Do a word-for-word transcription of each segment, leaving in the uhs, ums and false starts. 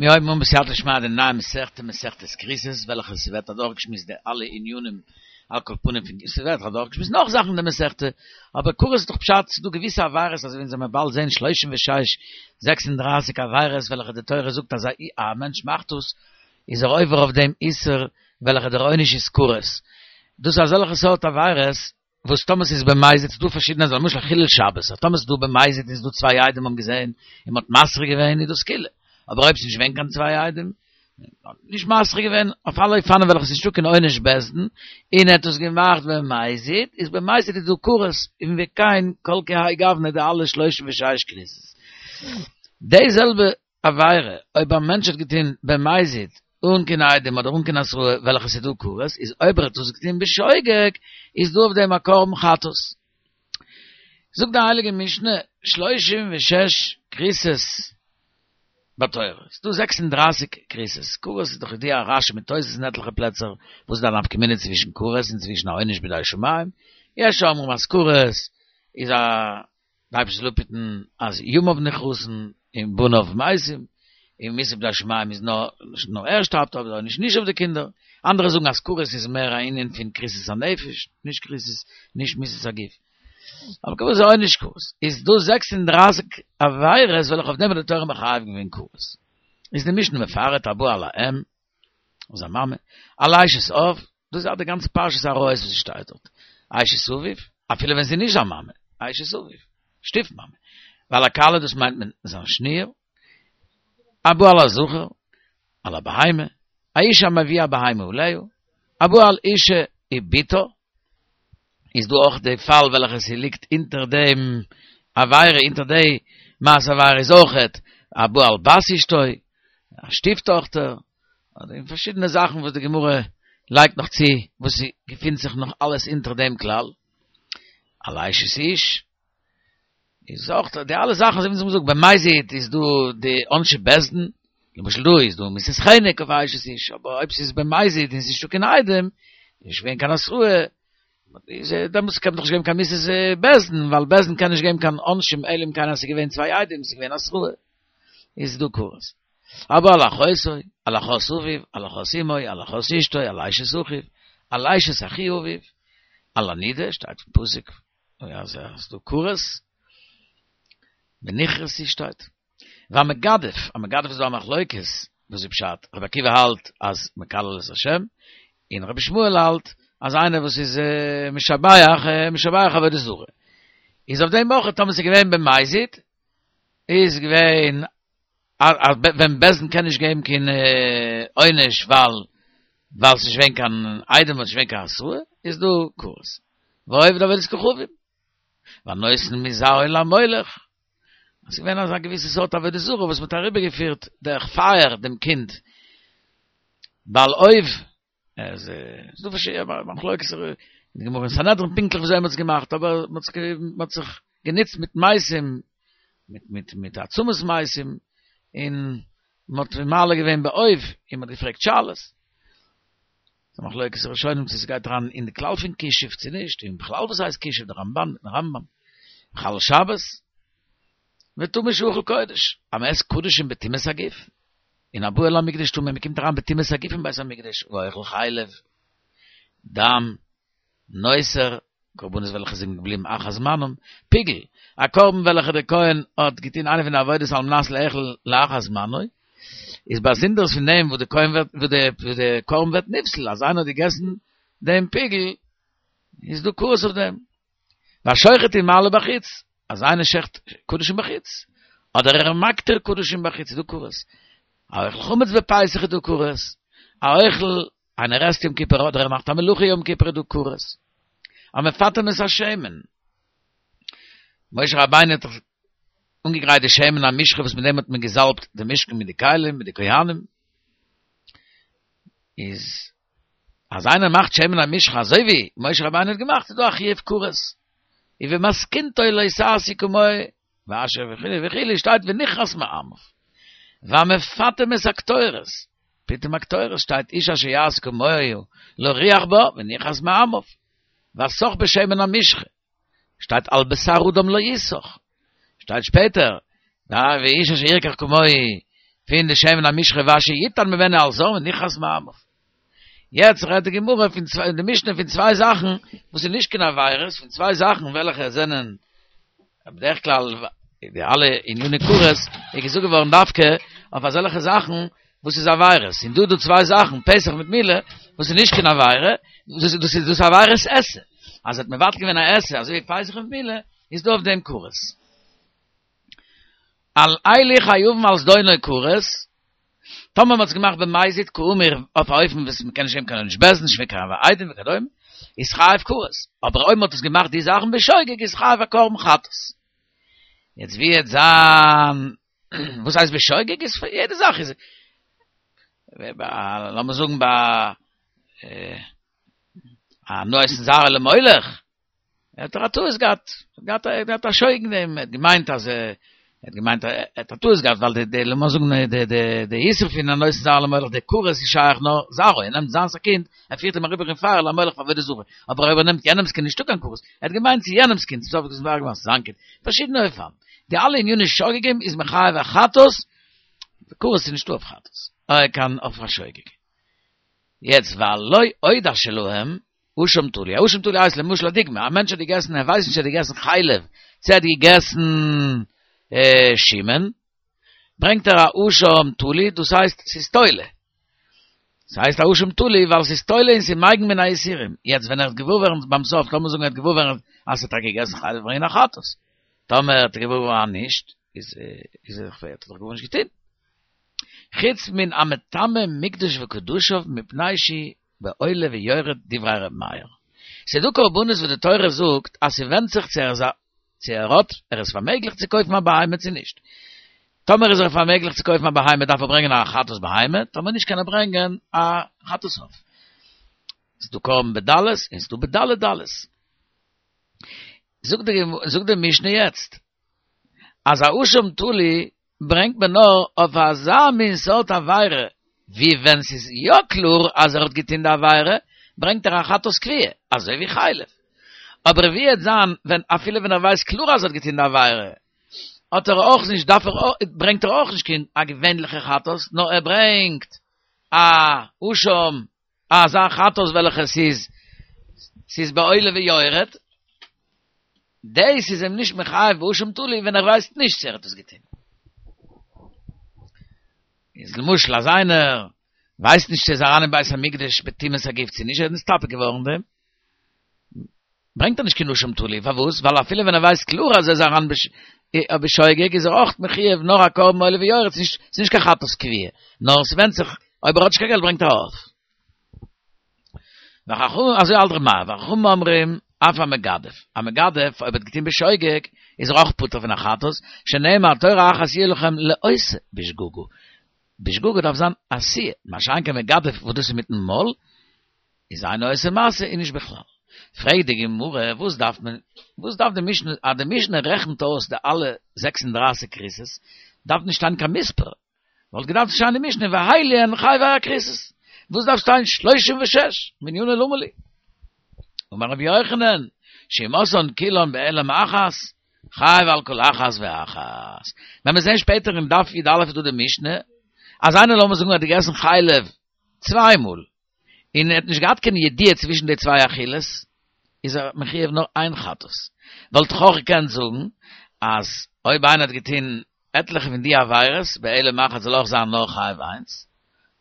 מיר הייבן אן בסייעתא דשמיא די נייע מסכתא, מסכת כריתות, וועלכע ס'ווערט אדורכגעשמועסט די אלע ענינים על כל פנים פון ס'ווערט אדורכגעשמועסט נאך זאכן אין די מסכתא, אבער כרת איז דאך פשט ס'איז דא געוויסע עבירות אזוי ווי אונז וועלן באלד זען שלושים ושש, זעקס און דרײַסיק עבירות וועלכע די תורה זאגט אז א מענטש מאכט דאס איז ער עובר אויף דעם איסור וועלכע דער עונש איז כרת, דאס איז אזעלכע סארט עבירות וואס טאמער ס'איז במזיד, ס'איז דא פארשידענע אזוי למשל חילול שבת, אז טאמער ס'איז דא במזיד און ס'איז דא צוויי עדים האבן געזען און מ'האט מתרה געווען איז דאס קולא, אבער אויב ס'איז נישט געווען קיין צוויי עדים, נישט מתרה געווען, אויף אלע אופנים וועלכע ס'איז נישטא קיין עונש בית דין, און ער האט עס געמאכט במזיד, איז במזיד איז דא כרת, און וכן כל כהאי גוונא די אלע שלושים ושש כריתות. די זעלבע עבירה, אויב א מענטש האט געטון במזיד אן קיין עדים אדער אן קיין התראה וועלכע ס'איז דא כרת, איז אויב ער האט עס געטון בשוגג, איז דא אויף דעם א קרבן חטאת. זאגט די הייליגע משנה, שלושים ושש כריתות בתורה, ס'איז דא זעקס און דרײַסיק כריתות, כרת איז דאך ידוע רשי מיט תוס' אין עטליכע פלעצער, וואס איז די נפקא מינה צווישן כרת און צווישן א עונש בידי שמים, יש אומרים אז כרת איז א דער אייבערשטער זאל אפהיטן אז ימיו נכרתין און בניו מתים, און מיתה בידי שמים איז נאר נאר ער שטארבט אבער נישט נישט אויף די קינדער, אנדערע זאגן אז כרת איז מער א ענין פון כריתות הנפש, נישט כריתות נישט מיתת הגוף. אבער כרת איז עונש כרת. איז דא זעקס און דרײַסיק עבירות וועלכע אויף דעם האט די תורה מחייב געווען כרת. איז די משנה מפרט הבא על האם, אויף זיין מאמע, על אשת אב, דאס איז די גאנצע פרשת עריות וואס שטייט דארט, אשת אביו, אפילו ווען זי איז נישט זיין מאמע, אשת אביו, שטיף מאמע, ועל הכלה דאס מיינט מען זיין שניר, הבא על הזכר, על הבהמה, האיש המביא הבהמה עליה, הבא על אשה ובתה, איז דא אויך די פאל וועלכע ס'ליגט אונטער דעם עבירה, אונטער די מעשה עבירה איז אויכעט הבא על בת אשתו, א שטיף טאכטער, אדער אין פארשידענע זאכן וואס די גמרא לייגט נאך צו וואס ס'געפינט זיך נאך אלעס אונטער דעם כלל, על אשת איש, איז אויך די אלע זאכן אזוי ווי מ'האט געזאגט במזיד איז דא די עונשי בית דין, למשל דא איז דא מיתת חנק אויף אשת איש, אבער אויב ס'איז במזיד און ס'איז נישטא קיין עדים, איז נישט געווען קיין התראה, איז דעמאלטס קען מען דאך נישט געבן קיין מיתת בית דין, ווייל בית דין קען נישט געבן קיין עונשים אלא אם כן אז ס'איז געווען צוויי עדים, ס'איז געווען התראה, איז דא כרת. הבא על אחותו, על אחות אביו, על אחות אמו, על אחות אשתו, על אשת אחיו, על אשת אחי אביו, על הנידה, שטייט אין פסוק, אז ס'איז דא כרת, ונכרתו שטייט. והמגדף, א מגדף איז דא א מחלוקת, וואס איז פשט? רבי עקיבא האלט אז מקלל את השם, און רבי ישמעאל האלט אז איינער וואס איז משבח, משבח עבודה זרה. איז אויף דעם אויך טאמער ס'איז געווען במזיד, איז געווען אז ווען בית דין קען נישט געבן קיין עונש ווייל ווייל ס'איז נישט געווען קיין עדים און ס'איז נישט געווען קיין התראה, איז דא כרת. והעובד עבודת כוכבים. והנותן מזרעו למולך. עס איז געווען אזא געוויסע סארט עבודה זרה וואס מ'האט אריבערגעפירט דורך פייער דעם קינד. בעל אוב, עס איז דא פארשידענע מחלוקת אין די גמרא אין סנהדרין פונקטליך וויאזוי מ'האט עס געמאכט, אבער מ'האט זיך גענוצט מיט מתים, מיט מיט מיט עצמות מתים, און מ'האט מעלה געווען באוב, און מ'האט געפרעגט שאלות. ס'איז א מחלוקת ראשונים צו ס'גייט אריין אין די כלל פון כישוף צו נישט, און בכלל וואס הייסט כישוף, די רמבן מיטן רמב"ם, מחלל שבת, וטמא שאכל קודש, אז מ'עסט קדשים בטומאת הגוף, און הבא אל המקדש טמא, מ'קומט אריין בטומאת הגוף אין בית המקדש, ואוכל חלב, דם, נותר, קרבנות וועלכע זענען געבליבן אחר זמנם, פיגול, א קרבן וועלכע דער כהן האט געטון איינע פון די עבודות על מנת לאכול לאחר זמנו, איז באזונדערס פון דעם וואס די כהן ווערט וואס די קרבן ווערט נפסל, אז איינער האט געגעסן דעם פיגול, איז דא כרת אויף דעם. והשוחט ומעלה בחוץ, אז איינער שעכט קדשים בחוץ, אדער ער מקטיר קדשים בחוץ, איז דא כרת. האוכל חמץ בפסח איז דא כרת. האוכל איינער עסט יום כיפור אדער ער מאכט א מלאכה יום כיפור איז דא כרת. המפטם את השמן. משה רבינו האט דאך אנגעגרייט די שמן המשחה וואס מיט דעם האט מען געזאלבט די משכן מיט די כלים מיט די כהנים. איז אז איינער מאכט שמן המשחה אזוי ווי משה רבינו האט געמאכט איז דא א חיוב כרת. ובמתכונתו לא תעשו כמוהו ואשר וכו' וכו' שטייט ונכרת מעמיו. והמפטם את הקטורת, פיטום הקטורת שטייט איש אשר יעשה כמוהו להריח בה ונכרת מעמיו. והסך בשמן המשחה, שטייט על בשר אדם לא יסוך, שטייט שפעטער, ואיש אשר ירקח כמוהו פון די שמן המשחה ואשר יתן ממנו על זר ונכרת מעמיו. יעצט רעדט די גמרא פון צוויי, די משנה פון צוויי זאכן וואס איז נישט קיין עבירות, פון צוויי זאכן וועלכע זענען בדרך כלל די אלע עניני כרת איז געזאגט געווארן דווקא אויף אזעלכע זאכן וואס איז עבירות. און דא דא צוויי זאכן, פסח מיט מילה, וואס איז נישט קיין עבירה, דאס דאס איז דאס עבירות עשה. אז האט מבטל געווען א עשה, אזוי ווי פסח מיט מילה, איז דא אויף דעם כרת. על אלו חייבין על זדונו כרת, טאמער מ'האט עס געמאכט במזיד כאמור אויף א אופן וואס מ'קען נישט געבן קיין עונש בית דין, נישט קיין עדים וכדומה, איז חייב כרת. אבער אויב מ'האט עס געמאכט די זאכן בשוגג איז חייב א קרבן חטאת. יעצט ווי וועט זיין, וואס הייסט בשוגג איז יעדע זאך איז, לאמיר זאגן ביי א נותן זרעו למולך, ער האט א טעות געהאט, געהאט ער געהאט א שוגג אין דעם, ער האט געמיינט אז ער האט געמיינט ער האט א טעות געהאט ווייל די די לאמיר זאגן די די די איסור פון א נותן זרעו למולך די כרת איז שייך נאר זרעו, ער נעמט זיינס א קינד, ער פירט אים אריבער אין פייער למולך פאר עבודה זרה, אבער אויב ער נעמט יענעמס קינד נישטא קיין כרת, ער האט געמיינט ס'איז יענעמס קינד, סוף איז געווארן זיין קינד, פארשידענע אופנים. די אלע עניני שוגגים איז מחייב א חטאת, כרת איז נישטא אויף חטאת, אה קיין אויף א שוגג. יעצט ועל לא עוד שלהם, אשם תלוי. אשם תלוי הייסט למשל א דוגמא, א מענטש האט געגעסן, ער ווייסט נישט ער האט געגעסן חלב, צו ער האט געגעסן שומן, ברענגט ער א אשם תלוי, דאס הייסט ס'איז תולה. ס'הייסט א אשם תלוי ווייל ס'איז תולה און ס'איז מגין מן האיסורים. יעצט ווען ער האט געוואר ווערן ביים סוף, לאמיר זאגן ער האט געוואר ווערן אז ער האט טאקע געגעסן חלב, ברענגען א חטאת. טאמער האט ער געוואר ווערן אז נישט, איז איז ער האט ער דאך גארנישט געטון. חוץ מן המטמא מקדש וקדשיו מפני שהוא בעולה ויורד דברי ר' מאיר. ס'איז דא קרבנות וואס די תורה זאגט אז ס'ווענדט זיך צו ער איז א צו ער האט ער איז פארמעגליך צו קויפן א בהמה צו נישט. טאמער איז ער פארמעגליך צו קויפן א בהמה דארף ער ברענגען א חטאת בהמה, טאמער נישט קען ער ברענגען א חטאת עוף. ס'איז דא קרבן בדלות און ס'איז דא בדלי דלות. זאגט די זאגט די משנה יעצט אז א אשם תלוי ברענגט מען נאר אויף אזא מין סארט עבירה ווי ווען ס'איז יא קלאר אז ער האט געטון די עבירה, ברענגט ער א חטאת קבועה, אזוי ווי חלב. אבער ווי וועט זיין ווען אפילו ווען ער ווייסט קלאר אז ער האט געטון די עבירה, האט ער אויך נישט, דארף ער, ברענגט ער אויך נישט קיין א געווענליכע חטאת, נאר ער ברענגט א אשם, אזא חטאת וועלכע ס'איז, ס'איז בעולה ויורד, דאס איז אים נישט מחייב באשם תלוי ווען ער ווייסט נישט צו ער האט עס געטון. איז למשל אז איינער ווייסט נישט צו ער איז אריין אין בית המקדש בטומאת הגוף צו נישט, ער איז נסתפק געווארן אין דעם, ברענגט ער נישט קיין אשם תלוי, פארוואס? ווייל אפילו ווען ער ווייסט קלאר אז ער איז אריין בשוגג איז ער אויך מחויב נאר א קרבן עולה ויורד, ס'איז נישט קיין חטאת קבועה, נאר ס'ווענדט זיך אויב ער האט נישט קיין געלט ברענגט ער עוף. וחכמים, אזוי האלט ר' מאיר, וחכמים אומרים, אף המגדף, א מגדף אויב ער האט געטון בשוגג, איז ער אויך פטור פון א חטאת, שנאמר תורה אחת יהיה לכם לעושה בשגגה, בשגגה דארף זיין עשיה, מה שאין כן מגדף וואס דאס איז מיטן מויל, איז אינו עושה מעשה און נישט בכלל. פרעגט די גמרא, וואס דארף מען, וואס דארף די משנה, אז די משנה רעכנט אויס די אלע זעקס און דרײַסיק כריתות, דארף נישט שטיין קיין מספר, וואלט געדארפט שטיין אין משנה ואלו הן חייבי הכריתות, וואס דארף שטיין שלושים ושש, מנינא למה לי? אמר רבי יוחנן, שאם עשאן כולן בהעלם אחת, חייב על כל אחת ואחת. ווען מיר זעהן שפעטער אין דף י"א איז דא די משנה, אז איינער לאמיר זאגן האט געגעסן חלב צוויי מאל, און ער האט נישט געהאט קיין ידיעה צווישן די צוויי אכילות, איז ער מחויב נאר איין חטאת. וואלט איך אויך געקענט זאגן אז אויב איינער האט געטון עטליכע פון די עבירות בהעלם אחת זאל אויך זיין נאר חייב איינס,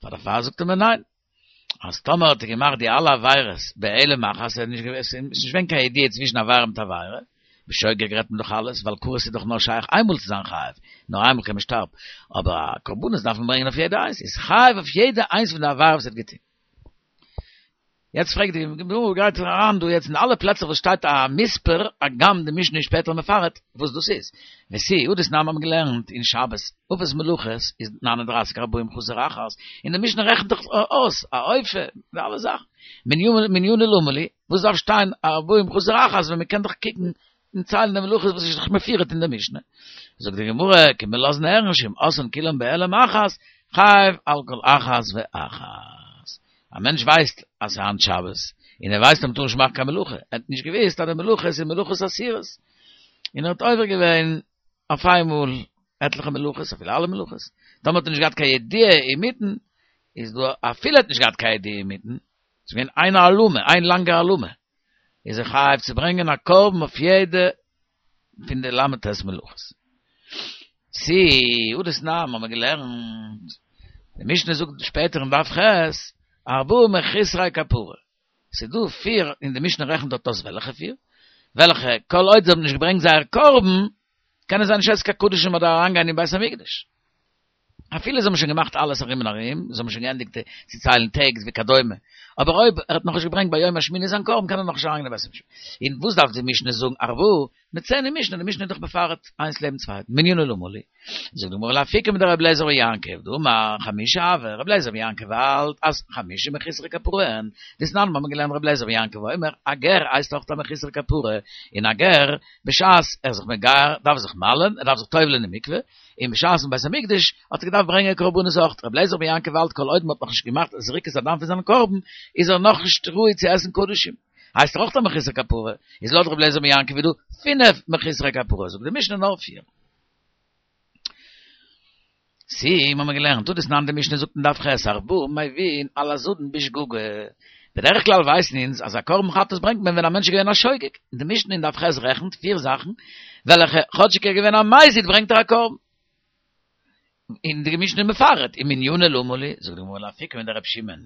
פאר דערפאר זאגט ער מיר ניין, אז טאמער האט ער געמאכט די אלע עבירות בהעלם אחת, עס איז נישט געווען קיין ידיעה צווישן עבירה מיט עבירה, בשוגג רעדט מען דאך אלעס, ווייל כרת איז דאך נאר שייך איינמאל צו זיין חייב, נאר איינמאל קען מען שטארבן, אבער א קרבנות דארף מען ברענגען אויף יעדע איינס, איז חייב אויף יעדע איינס פון די עבירות וואס ער האט געטון. יעצט פרעגט די גמרא גייט אריין דא יעצט אין אלע פלעצער וואס שטייט א מספר, הגם די משנה איז שפעטער מפרט וואס דאס איז. ותו, הא דתנן האבן געלערנט אין שבת, אבות מלאכות איז נײַן און דרײַסיק ארבעים חסר אחת, און די משנה רעכנט דאך אויס א אופה די אלע זאכן. מנינא למה לי, וואס דארף שטיין ארבעים חסר אחת ווען מען קען דאך קוקן און ציילן די מלאכות וואס איז דאך מפורט אין די משנה. זאגט די גמרא, קומט מען לאזן הערן שאם עשאן כולן בהעלם אחת, חייב על כל אחת ואחת. א מענטש ווייסט אז ס'איז היינט שבת, און ער ווייסט אז מ'טאר נישט מאכן קיין מלאכה, ער האט נישט געוואוסט אז די מלאכות איז מלאכות אסורות, און ער האט עובר געווען אויף איינמאל עטליכע מלאכות, אפילו אלע מלאכות, טאמער האט ער נישט געהאט קיין ידיעה אינמיטן, איז דא אפילו האט נישט געהאט קיין ידיעה אינמיטן, ס'איז געווען איין העלמה, איין לאנגע העלמה, איז ער חייב צו ברענגען א קרבן אויף יעדע פון די ל"ט מלאכות. צי הא דתנן האבן מיר געלערנט, די משנה זאגט שפעטער אין דף ח', ארבעה מחוסרי כפרה, ס'איז דא פיר, און די משנה רעכנט דארט אויס וועלכע פיר, וועלכע כל עוד זיי האבן נישט געברענגט זייער קרבן, קענען זיי נישט עסן קיין קדשים אדער אריינגיין אין בית המקדש. אפילו זיי האבן שוין געמאכט אלעס ארום און ארום, זיי האבן שוין געענדיגט צו ציילן טעג וכדומה, אבער אויב ער האט נאכנישט געברענגט ביום השמיני זיין קרבן קען ער נאכנישט אריינגיין אין בית המקדש. און וואס דארף די משנה זאגן ארבעה? מ'וועט זען אין משנה, די משנה איז דאך מפרט איינס לעבן צווייטן, מנינא למה לי. זאגט די גמרא לאפוקי מדרבי אליעזר בן יעקב, דאמר חמשה הוו, רבי אליעזר בן יעקב האלט אז חמשה מחוסרי כפרה הן, דתנן מיר האבן געלערנט רבי אליעזר בן יעקב אומר, א גר הייסט אויך א מחוסר כפרה, און א גר בשעת ער איז זיך מגייר דארף זיך מל'ען, ער דארף זיך טובל'ען אין מקווה, און בשעת אין בית המקדש האט ער געדארפט ברענגען קרבנות אויך, רבי אליעזר בן יעקב האלט כל עוד מען האט נאכנישט געמאכט זריקת הדם פון זיין קרבן איז ער נאכנישט ראוי צו עסן קדשים, הייסט ער אויך א מחוסר כפרה, איז לויט רבי אליעזר בן יעקב איז דא פינף מחוסרי כפרה, זאגט די משנה נאר פיר. צי האבן מיר געלערנט הא דתנן די משנה זאגט אין דף ח' ארבעה מביאין על הזדון בשגגה, בדרך כלל ווייסן אונז אז א קרבן חטאת ברענגט מען ווען א מענטש איז געווען א שוגג, און די משנה אין דף ח' רעכנט פיר זאכן וועלכע כאטשיג ער איז געווען א מזיד ברענגט ער א קרבן. און די משנה מפרט, ומנינא למה לי, זאגט די גמרא לאפוקי מדרבי שמעון,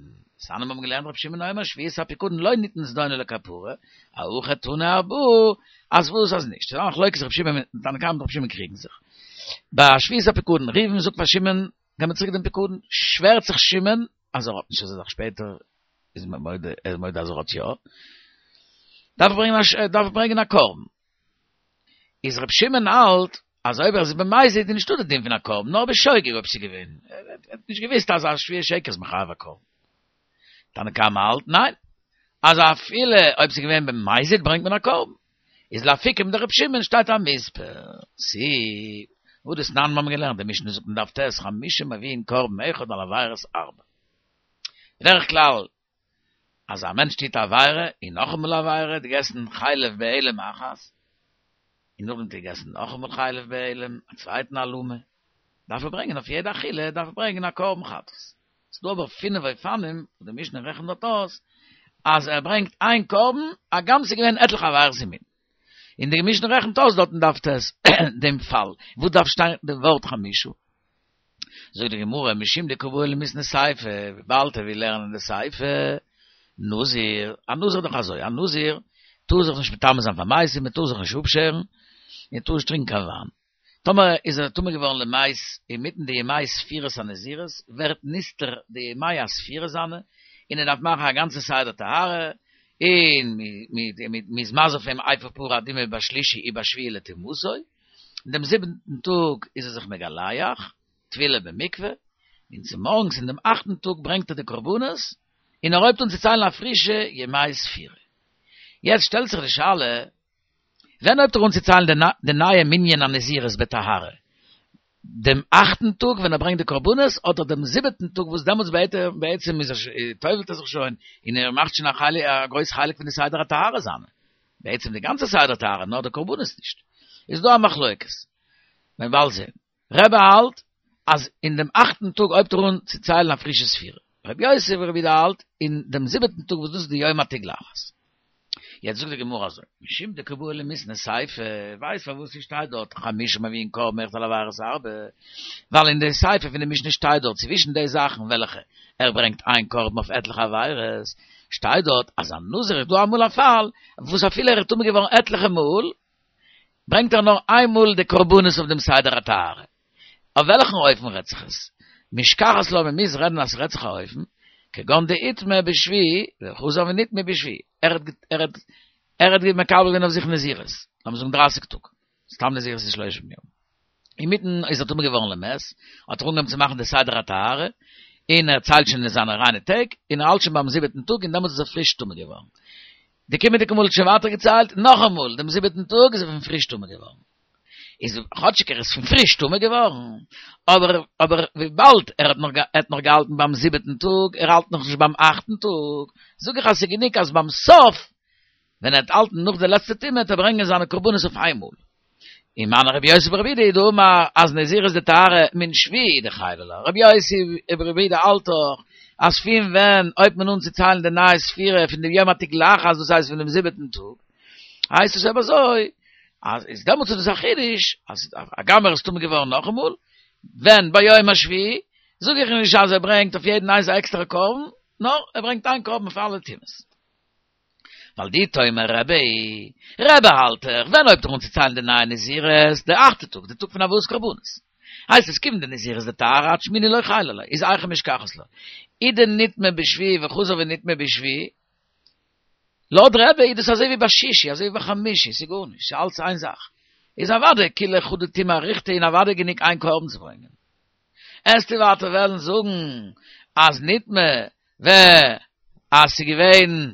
דתנן מיר האבן געלערנט רבי שמעון אומר שבועת הפיקדון לא ניתן זדונו לכפרה, הכא תנא ארבעה, אז וואס אז נישט, ס'איז א מחלוקת רבי שמעון מיט תנא קמא רבי שמעון קריגן זיך. ביי שבועת הפיקדון, ראובן זאגט פאר שמעון, גיב מיר צוריק דעם פיקדון, שווערט זיך שמעון אז ער האט נישט אזא זאך, שפעטער איז מען מודה, ער איז מודה אז ער האט יא, דארף ער ברענגען א, דארף ער ברענגען א קרבן. איז רבי שמעון האלט אז אויב ער איז במזיד איז נישטא די דין פון א קרבן, נאר בשוגג אויב ס'איז געווען, ער האט נישט געוואוסט אז א שבועת שקר איז מחייב א קרבן. תנא קמא האלט ניין, אז אפילו אויב ס'איז געווען במזיד ברענגט מען א קרבן. איז לאפוקי מדרבי שמעון שטייט א מספר. צי הא דתנן מיר האבן געלערנט די משנה זאגט אין דף ט' חמשה מביאין קרבן אחד על עבירות ארבע. בדרך כלל אז א מענטש טוט א עבירה און נאכאמאל א עבירה, האט געגעסן חלב בהעלם אחת, און נאכדעם האט ער געגעסן נאכאמאל חלב בהעלם, א צווייטן העלמה, דארף ער ברענגען אויף יעדע אכילה דארף ער ברענגען א קרבן חטאת. ס'דא אבער פינף אופנים וואס די משנה רעכנט דארט אויס, אז ער ברענגט איין קרבן, הגם ס'איז געווען עטליכע עבירות אינמיטן. און די משנה רעכנט אויס דארט אין דף ט' דעם פאל, וואו דארף שטיין די ווארט חמשה. זאגט די גמרא, משום דקא בעי למיתני סיפא, וויבאלד ער וויל לערנען די סיפא, נזיר, א נזיר איז דאך אזוי, א נזיר טאר זיך נישט מטמא זיין פאר מתים, מען טאר זיך נישט אפשערן, און טאר נישט טרינקען קיין וויין. טאמער איז ער טמא געווארן למת אינמיטן די ימי ספירת הנזירות, ווערט נסתר די ימי הספירה זיינע, און ער דארף מאכן א גאנצע סדר טהרה, און מ'איז מזה אויף אים אפר פרה אדומה בשלישי ובשביעי לטומאתו, אין דעם זיבנטן טאג איז ער זיך מגלח, טבילה במקווה, און צומארגנס אין דעם אכטן טאג ברענגט ער די קרבנות, און ער הויבט אן צו ציילן א פרישע ימי ספירה. יעצט שטעלט זיך די שאלה, ווען הויבט ער אן צו ציילן די נייע מנין הנזירות בטהרה? דעם אכטן טאג ווען ער ברענגט די קרבנות, אדער דעם זיבעטן טאג וואס דעמאלטס בעצם איז ער טובל'ט ער זיך שוין, און ער מאכט שוין א גרויס חלק פון די סדר הטהרה זיינע? בעצם די גאנצע סדר טהרה, נאר די קרבנות נישט. איז דא א מחלוקת. מען וועט באלד זען. רבי האלט אז אין דעם אכטן טאג הויבט ער אן צו ציילן א פרישע ספירה. רבי יוסי ברבי יהודה האלט אין דעם זיבעטן טאג וואס דאס איז די יום התגלחת. יעצט זאגט די גמרא אזוי, משום דקא בעי למיתני סיפא, ווייסט פארוואס ס'שטייט דארט חמשה מביאין קרבן אחד על עבירות ארבע, ווייל אין די סיפא פון די משנה שטייט דארט צווישן די זאכן וועלכע ער ברענגט איין קרבן אויף עטליכע עבירות, שטייט דארט אז א נזיר איז דא אמאל א פאל וואס אפילו ער איז טמא געווארן עטליכע מאל, ברענגט ער נאר איין מאל די קרבנות אויף דעם סדר הטהרה. אויף וועלכן אופן רעדט זיך עס? משכחת לה מען מוז רעדן אז ס'רעדט זיך א אופן, כגון דאיטמי בשביעי וחזר ונטמא בשביעי, ער האט ער האט ער האט מקבל געווען אויף זיך נזירות, לאמיר זאגן דרייסיג טאג, סתם נזירות איז שלושים יום, אינמיטן איז ער טמא געווארן למת, האט ער אנגעהויבן צו מאכן די סדר הטהרה, און ער ציילט שוין זיינע ריינע טעג, און ער האלט שוין ביים זיבעטן טאג, און דעמאלטס איז ער פריש טמא געווארן. די קומענדיגע מאל האט שוין ווייטער געציילט, נאכאמאל, דעם זיבעטן טאג איז ער פון פריש טמא געווארן. איז כאטשיג ער איז פון פריש טמא געווארן, אבער אבער וויבאלד ער האט נאך ער האט נאך געהאלטן ביים זיבעטן טאג, ער האלט נאכנישט ביים אכטן טאג, זאג איך אז ס'איז גענוג אז ביים סוף, ווען ער וועט האלטן נאך די לעצטע טומאה, וועט ער ברענגען זיינע קרבנות אויף איינמאל. אין מאן רבי יוסי ברבי יהודה דאמר אז נזירות דטהרה מן שביעי דחייבי לה. רבי יוסי ברבי יהודה האלט דאך אז פון ווען הויבט מען אן צו ציילן די נייע ספירה פון דעם יום התגלחת, דאס הייסט פון דעם זיבעטן טאג, הייסט עס אויב אזוי אז איז דעמאלטס איז דאס א חידוש אז הגם ער איז טמא געווארן נאכאמאל ווען ביום השביעי, זאג איך נישט אז ער ברענגט אויף יעדן איינס א עקסטערע קרבן, נאר ער ברענגט איין קרבן אויף אלע טומאות. ווייל דאי תאמר רבי, רבי האלט דאך, ווען הויבט ער אן צו ציילן די נייע נזירות? די אכטע טאג, די טאג פון הבאת קרבנות. הייסט עס כיון דנזירות דטהרה עד שמיני לא חיילא ליה, איז היכי משכחת לה. אי דנטמא בשביעי וחזר ונטמא בשביעי, לויט רבי איז דאס אזוי ווי ביי שישי, אזוי ווי ביי חמישי, ס'איז גארנישט, ס'איז אלץ איין זאך. איז אוודאי כולה חדא טומאה אריכתא און אוודאי גענוג איין קרבן צו ברענגען. עסטו ווייטער וועלן זאגן אז נטמא ו אז ס'איז געווען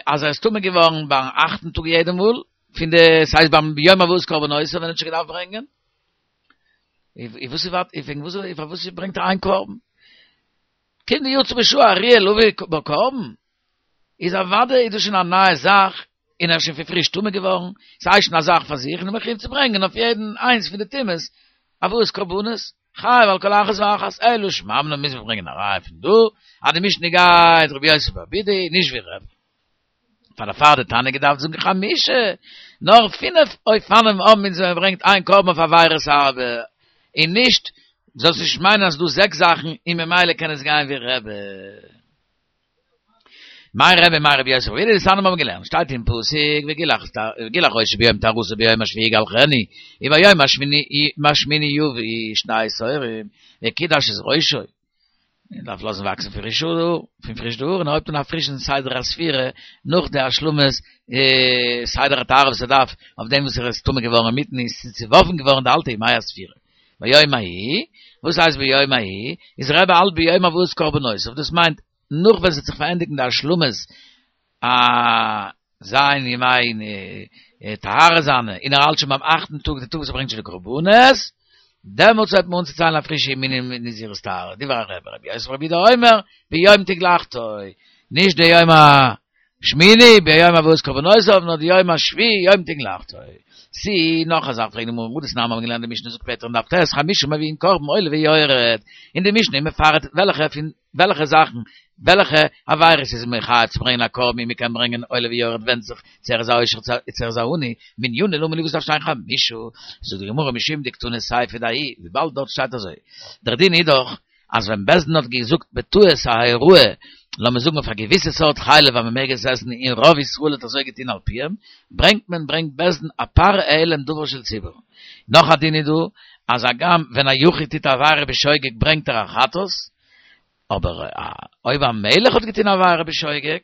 אז ער איז טמא געווארן ביים אכטן טאג יעדע מאל, פון די ס'הייסט ביים יום הבאת קרבנותיו ווען ער האט שוין געדארפט ברענגען. איז וואס איז וועגן וואס פארוואס ברענגט ער איין קרבן? כיון דיצא בשעה הראויה להביא בה קרבן, איז אוודאי איז דאס שוין א נייע זאך, און ער איז שוין פון פריש טמא געווארן, ס'איז שוין א זאך פאר זיך, און איז מחויב צו ברענגען אויף יעדן איינס פון די טומאות הבאת קרבנות, חייב על כל אחת ואחת, אלא שמע מינה מוז מען ברענגען א ראיה פון דא, אז די משנה גייט רבי יוסי ברבי יהודה, נישט ווי רבי. פאר דערפאר האט די תנא געדארפט זאגן חמשה, נאר פינף אופנים האבן אונז ווען מען ברענגט איין קרבן אויף עבירות הרבה, און נישט, זאלסט נישט מיינען אז ס'דא זעקס זאכן און ממילא קען עס גיין ווי רבי. מאי רבי מאי רבי יוסי ברבי יהודה דתניא מיר האבן געלערנט שטייט אין פסוק וגלח וגלח ראשו ביום טהרתו ביום השביעי יגלחנו וביום השמיני יביא שני תורים וקידש את ראשו מען דארף לאזן וואקסן פריש האר פון פריש די האר און ער הויבט אן א פרישן סדר הספירה נאך די השלמת סדר הטהרה וואס ער דארף אויף דעם וואס ער איז טמא געווארן אינמיטן איז צעווארפן געווארן די אלטע ימי הספירה ביום ההוא וואס הייסט ביום ההוא איז רבי האלט ביום הבאת קרבנותיו דאס מיינט נאך ווען ס'וועט זיך פארענדיגן די השלמת א זיין ימי טהרה זיינע, און ער האלט שוין ביים אכטן טאג, די טאג וואס ער ברענגט שוין די קרבנות, דעמאלטס הייבט מען אן צו ציילן א פרישע ימי נזירות טהרה, דברי רבי, רבי יוסי ברבי יהודה אומר, ביום תגלחתו, נישט די יום השמיני, ביום הבאת קרבנותיו, נאר די יום השביעי, יום תגלחתו. סי, נאך א זאך פרעגט די גמרא, הא דתנן מיר האבן געלערנט די משנה זאגט שפעטער אין דף ט', חמשה מביאין קרבן עולה ויורד, און די משנה איז מפרט וועלכע פון וועלכע זאכן, וועלכע עבירות איז מען חייב צו ברענגען א קרבן און מען קען ברענגען עולה ויורד ווענדט זיך צו ער איז א עושר צו ער איז א עני, מנינא למה לי וואס דארף שטיין חמשה, זאגט די גמרא משום דקתני סיפא דההיא, וויבאלד דארט שטייט אזוי, דער דין איז דאך אז ווען בית דין האט געזאגט בטעות א הוראה, לאמיר זאגן אויף א געוויסע סארט חלב אז מען מעג עס עסן און רוב ישראל האט אזוי געטון על פיהם, ברענגט מען ברענגט בית דין א פר העלם דבר של ציבור. נאך א דין איז דא, אז הגם ווען א יחיד טוט א עבירה בשוגג ברענגט ער א חטאת, אבער אויב א מלך האט געטון א עבירה בשוגג,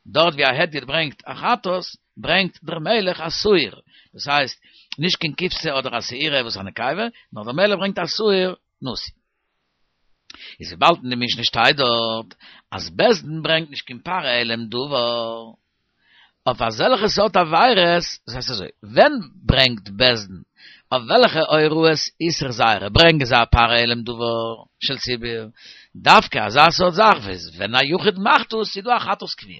דארט ווי א הדיוט ברענגט א חטאת, ברענגט דער מלך א שעיר, דאס הייסט, נישט קיין כבשה אדער א שעירה וואס איז א נקבה, נאר דער מלך ברענגט א שעיר נשיא. איז וויבאלד אין די משנה שטייט דארט אז בית דין ברענגט נישט קיין פר העלם דבר אויף אזעלכע סארט עבירות, דאס הייסט אזוי, ווען ברענגט בית דין, אויף וועלכע הוראות איסור זייערע ברענגען זיי א פר העלם דבר של ציבור, דווקא אזא סארט זאך וואס ווען א יחיד מאכט עס איז דא א חטאת קבועה,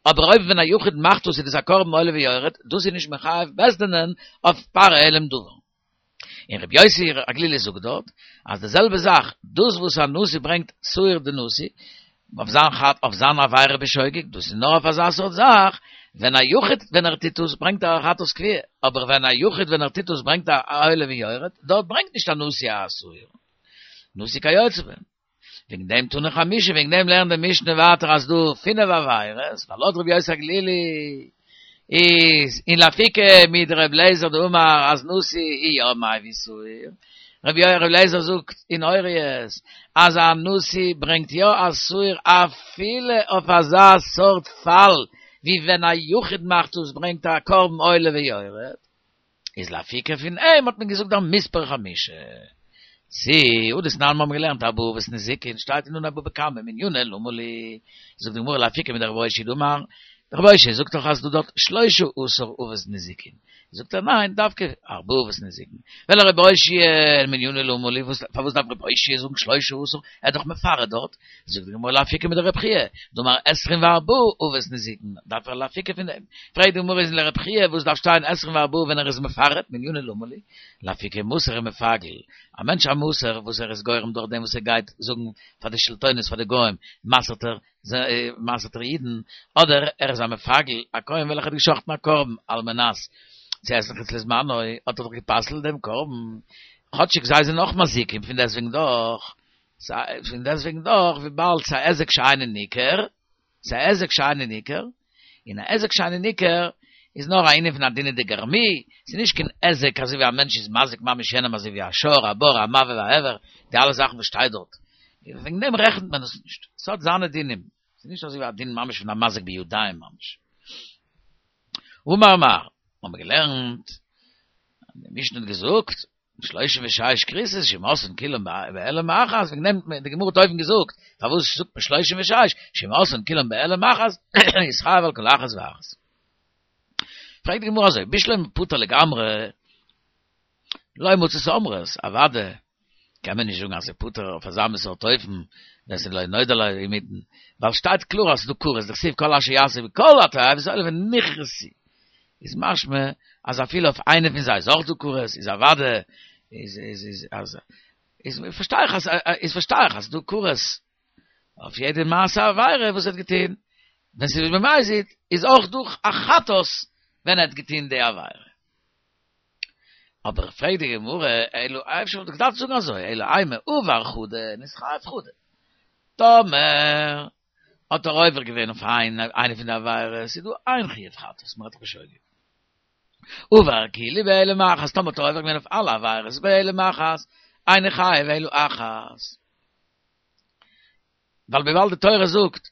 אבער אויב ווען א יחיד מאכט עס איז דאס א קרבן עולה ויורד, דאס איז נישט מחייב בית דינ'ען אויף פר העלם דבר. און רבי יוסי הגלילי זאגט דארט אז די זעלבע זאך, דאס וואס א נשיא ברענגט שעיר דנשיא אויף זיין חטא אויף זיין עבירה בשוגג, דאס איז נאר אויף אזא סארט זאך, ווען א יחיד ווען ער טוט עס ברענגט ער א חטאת קבועה, אבער ווען א יחיד ווען ער טוט עס ברענגט ער א עולה ויורד, דארט ברענגט נישט א נשיא א שעיר נשיא כיוצא בהם. וועגן דעם תני חמשה, וועגן דעם לערנט די משנה ווייטער אז דא פינף עבירות, ווייל לויט רבי יוסי הגלילי איז אין לאפוקי מדרבי אליעזר דאמר אז נשיא איז יא מביא שעיר, רבי אליעזר זאגט אין הוריות אז א נשיא ברענגט יא א שעיר אפילו אויף אזא סארט פאל ווי ווען א יחיד מאכט עס ברענגט ער א קרבן עולה ויורד. איז לאפוקי פון אים האט מען געזאגט דער מספר חמשה. צי הא דתנן מיר האבן געלערנט ארבעה אבות נזיקין שטייט אין אנהייב בבא קמא מנינא למה לי זאגט די גמרא לאפוקי מדרבי אושעיא דאמר דרבי אושעיא זאגט דאך אז דא דארט שלשה עשר אבות נזיקין זאגט ער ניין, דווקא ארבעה אבות נזיקין. ולרבי אושעיא מנינא למה לי, וואס פארוואס דארף רבי אושעיא זאגן שלושה עשר? ער איז דאך מפרט דארט. זאגט די גמרא לאפוקי מדרבי חייא, דאמר עשרים וארבעה אבות נזיקין, דארף ער לאפוקי פון דעם. פרעגט די גמרא איז לרבי חייא וואס דארף שטיין עשרים וארבעה ווען ער איז מפרט, מנינא למה לי? לאפוקי מסור ומפגל. א מענטש א מסור וואס ער איז גורם דורך דעם וואס ער גייט זאגן פאר די שלטונות פאר די גוים, מסר'ט ער מסר'ט ער אידן, אדער ער איז א מפגל, א כהן וועלכער האט געשחט'ן א קרבן על מנת צו עסן חוץ לזמנו, האט ער דאך גע'פסל'ט דעם קרבן, כאטשיג זיי זענען אויך מזיקים, פון דעסטוועגן דאך, פון דעסטוועגן דאך, וויבאלד ס'איז א היזק שאינו ניכר, ס'איז א היזק שאינו ניכר, און א היזק שאינו ניכר איז נאר א ענין פון א דינא דגרמי, ס'איז נישט קיין היזק אזוי ווי א מענטש איז מזיק ממש יענעם אזוי ווי א שור, א בור, א מבעה והעבר, די אלע זאכן וואס שטייט דארט. וועגן דעם רעכנט מען עס נישט. ס'האט זיינע דינים. ס'איז נישט אזוי ווי א דין ממש פון א מזיק בידיים ממש. אמר מר, האבן מיר געלערנט, די משנה האט געזאגט, שלושים ושש כריתות שאם עשאן כולן בהעלם אחת, וועגן דעם די גמרא האט אויבן געזאגט, פארוואס זאגט מען שלושים ושש, שאם עשאן כולן בהעלם אחת, יתחייב על כל אחת ואחת. פרעגט די גמרא אזוי, בשלמא פטור לגמרי, לא מצית אמרת, אוודאי קען מען נישט זאגן אז ס'איז פטור אויף אזא מין סארט אופן, ווען ס'איז לא נודע לו אינמיטן, ווייל שטייט קלאר אז ס'איז דא כרת, דכתיב כל אשר יעשה בכל התועבות האלה ונכרתו, איז משמע אז אפילו אויף איינע פון זיי איז אויך דא כרת, איז אוודאי איז איז איז אז איז פארשטיי איך אז איז פארשטיי איך אז ס'איז דא כרת אויף יעדע מעשה עבירה וואס ער האט געטון, ווען ס'איז במזיד איז אויך דא א חטאת ווען ער האט געטון די עבירה. אבער פרעגט די גמרא, אלא אפשר וואלט איך געדארפט זאגן אזוי, אלא אימא עבר חדא נתחייב חדא. טאמער האט ער עובר געווען אויף איינע פון די עבירות, איז דא איין חיוב חטאת, מ'רעדט דאך בשוגג. עבר כולהו בהעלם אחת, טאמער האט ער עובר געווען אויף אלע עבירות בהעלם אחת, אינו חייב אלא אחת. ווייל וויבאלד די תורה זאגט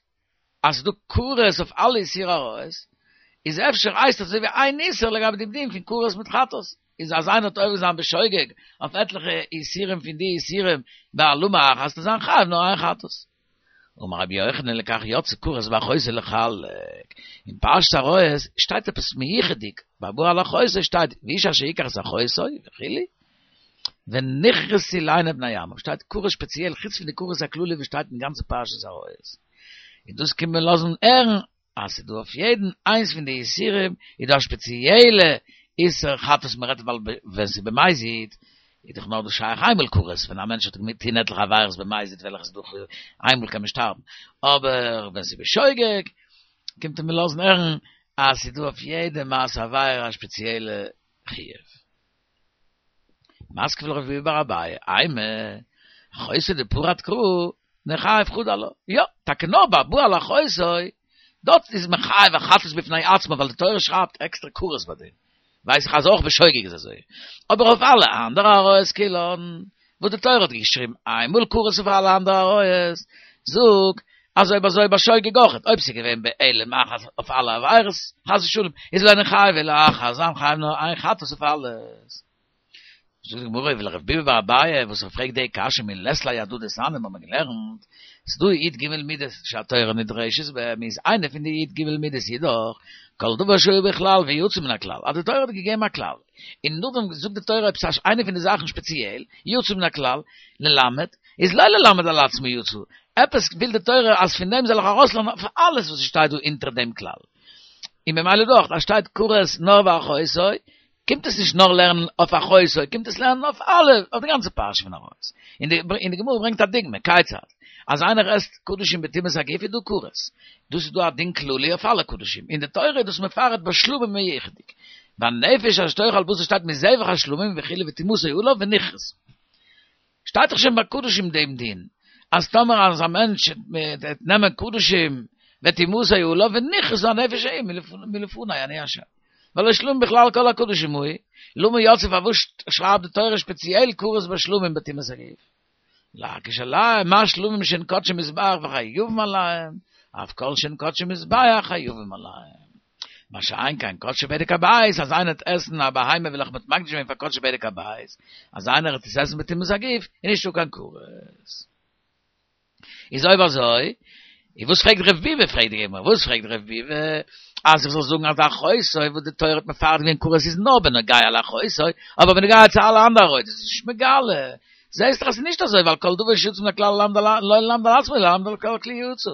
אז ס'איז דא כרת אויף אלע איסורי עריות, איז אפשר הייסט עס אזוי ווי איין איסור לגבי דעם דין פון כרת מיט חטאת, איז אז איינער האט עובר זיין בשוגג אויף עטליכע איסורים פון די איסורים בהעלמה אחת, וועט ער זיין חייב נאר איין חטאת. אמר רבי יוחנן לכך יצא כרת באחותו לחלק, אין פרשת עריות שטייט עפעס מיוחד'דיג, ביי הבא על אחותו שטייט ואיש אשר יקח את אחותו וכו', ונכרתו לעיני בני עמו, שטייט כרת שפעציעל חוץ פון די כרת הכללי וואס שטייט אין גאנצע פרשת עריות, און דאס קומט מען לאזן הערן אז ס'איז דא אויף יעדן איינס פון די איסורים איז דא א שפעציעלע איסור חטאת מ'רעדט ווייל ווען ס'איז במזיד איז דאך נאר דא שייך איינמאל כרת ווען א מענטש האט געטון עטליכע עבירות במזיד וועלכע איז דאך איינמאל קען מען שטארבן אבער ווען ס'איז בשוגג קומט מען לאזן הערן אז ס'איז דא אויף יעדע מעשה עבירה א שפעציעלע חיוב. מתקיף לה רב ביבי בר אביי, אימא, אחותו דפרט קרא, ניחייב חדא עלה. יא, טאקע נאר ביי הבא על אחותו, דארט איז מען חייב א חטאת בפני עצמו, ווייל די תורה שרייבט עקסטער כרת ביי דעם. ווייס איך אז אויך בשוגג איז אזוי. אבער אויף אלע אנדערע עריות כולן, וואס די תורה האט געשריבן איינמאל כרת אויף אלע אנדערע עריות, זאג, אז אויב אזוי בשוגג אויכעט, אויב ס'איז געווען בהעלם אחת אויף אלע עבירות, חס ושלום, איז לא ניחייב אלא אחת, זיין חייב נאר איין חטאת אויף אלעס. זאגט די גמרא ולרב ביבי בר אביי וואס ער פרעגט די קשיא מי לית ליה הדא דתניא האבן מיר געלערנט ס'דא י"ג מידות שהתורה נדרשת בהם איז איינע פון די י"ג מידות איז דאך כל דבר שהוא בכלל ויצא מן הכלל אז די תורה האט געגעבן א כלל און נאכדעם זאגט די תורה עפעס איינע פון די זאכן שפעציעל יצא מן הכלל ללמד איז לא ללמד על עצמו יצא עפעס וויל די תורה אז פון דעם זאל איך ארויסלערנען אויף אלעס וואס שטייט דא אונטער דעם כלל און ממילא דאך אז שטייט כרת נאר באחותו קומט עס נישט נאר לערנען אויף אחותו, קומט עס לערנען אויף אלע, אויף די גאנצע פרשה פון עריות. און די, און די גמרא ברענגט א דוגמא, כיצד? אז איינער עסט קדשים בטומאת הגוף איז דא כרת. דאס איז דא א דין כללי אויף אלע קדשים. און די תורה איז דאס מפרט ביי שלמים מיוחד'דיג. והנפש אשר תאכל בשר שטייט מזבח השלמים וכו' וטומאתו עליו ונכרתה. שטייט דאך שוין ביי קדשים דעם דין, אז טאמער אז א מענטש וועט נעמען קדשים וטומאתו עליו ונכרתה הנפש ההיא מלפני אני השם. והלא שלמים בכלל כל הקדשים הוא, למה יצאו פארוואס שרייבט די תורה שפעציעל כרת ביי שלמים בטומאת הגוף? להקיש עליהם מה שלמים שהן קדשי מזבח וחייבים עליהם, אף כל שהן קדשי מזבח חייבים עליהם. מה שאין כן קדשי בדק הבית, אז איינער וועט עסן א בהמה וועלכע מ'האט מקדיש געווען פאר קדשי בדק הבית, אז איינער וועט עס עסן בטומאת הגוף, איז נישטא קיין כרת. איז אויב אזוי, איז וואס פרעגט רב ביבי, פרעגט די גמרא, וואס פרעגט רב ביבי, אז איך זאל זאגן אז אחויסוי, וואס די תורה האט מפרט געווען כרת איז נאר בנוגע לאחותו, אבער בנוגע צו אלע אנדערע עריות איז נישט מגלה. זעהסט דאך אז ס'איז נישט אזוי, ווייל כל דבר שיוצא מן הכלל לא ללמד על עצמו, אלא ללמד על כל כלי יצא.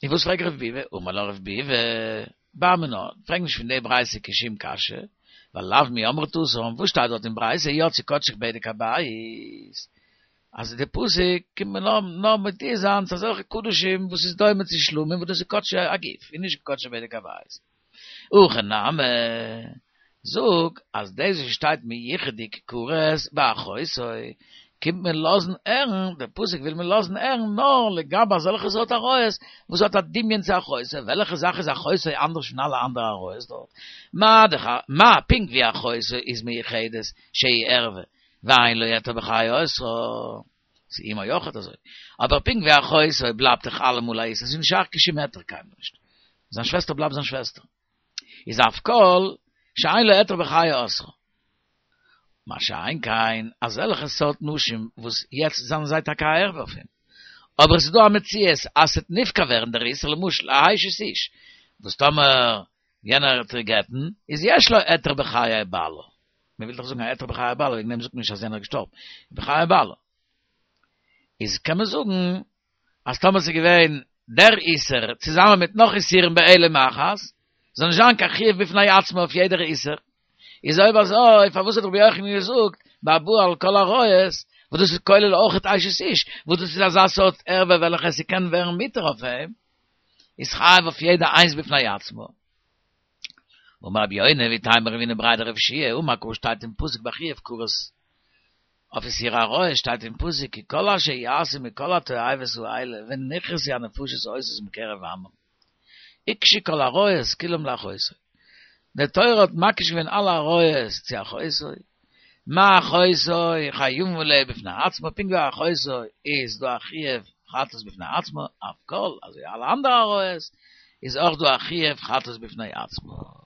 און וואס פרעגט רב ביבי? אמר לו רב ביבי, בר מינה, פרעג נישט פון די ברייתא קיין שום קשיא, ווייל לאו מי אמרת התם, וואס שטייט דארט אין ברייתא יצאו קדשיך בדק הבית? אז די פסוק קומט מען נאר נאר מודיע זיין צו אזעלכע קדשים וואס איז דומה צו שלמים וואס דאס איז קדשי הגוף און נישט קדשי בדק הבית. הכא נמי, זאג אז דאס וואס שטייט מיוחד'דיג כרת באחותו קומט מען לאזן הערן, דער פסוק וויל מען לאזן הערן נאר לגבי אזעלכע סארט עריות וואס האט א דמיון צו אחותו, וועלכע זאך איז אחותו אנדערש פון אלע אנדערע עריות דארט? מה דאך מה פונקט ווי אחותו איז מיוחדת שהיא ערווה ואין לו היתר בחיי אוסרה, ס'איז אמו אויכעט אזוי, אבער פונקט ווי אחותו בלייבט דאך אלעמאל א איסור, ס'איז נישט שייך קיין שום היתר קיינמאל נישט, זיין שוועסטער בלייבט זיין שוועסטער, איז אף כל שאין לו היתר בחיי אוסרה. מה שאין כן אזעלכע סארט נשים וואס יעצט זענען זיי טאקע א ערווה אויף אים, אבער עס איז דא א מציאות אז ס'וועט נפקע ווערן דער איסור, למשל א אשת איש וואס טאמער יענער וועט איר גט'ן איז יש לו היתר בחיי בעלה, מען וויל דאך זאגן א היתר בחיי בעלה וועגן דעם זאגט מען נישט אז יענער איז געשטארבן, בחיי בעלה איז קען מען זאגן אז טאמער ס'איז געווען דער איסור צוזאמען מיט נאך איסורים בעילום אחת, זאל נישט זיין קיין חיוב בפני עצמו אויף יעדער איסור. איז אויב אזוי פארוואס האט רבי יוחנן געזאגט בארבעה על כל העריות, וואס דאס איז כולל אויכעט אשת איש, וואס דאס איז אזא סארט ערווה וועלכע ס'קען ווערן מותר אויף אים, איז חייב אויף יעדע איינס בפני עצמו. אמר רבי יונה ואיתימא רב הונא בריה דרב יהושע אמר קרא שטייט אין פסוק ביי חיוב כרת אויף איסור עריות שטייט אין פסוק כי כל אשר יעשו מכל התועבות האלה ונכרתו הנפשות העושות מקרב עמם הוקשו כל העריות כולם לאחותו די תורה האט מקיש געווען אלע עריות צו אחותו מה אחותו חייבין עליה בפני עצמה פונקט ווי אחותו איז דא א חיוב חטאת בפני עצמה אף כל אזוי אלע אנדערע עריות איז אויך דא א חיוב חטאת בפני עצמה.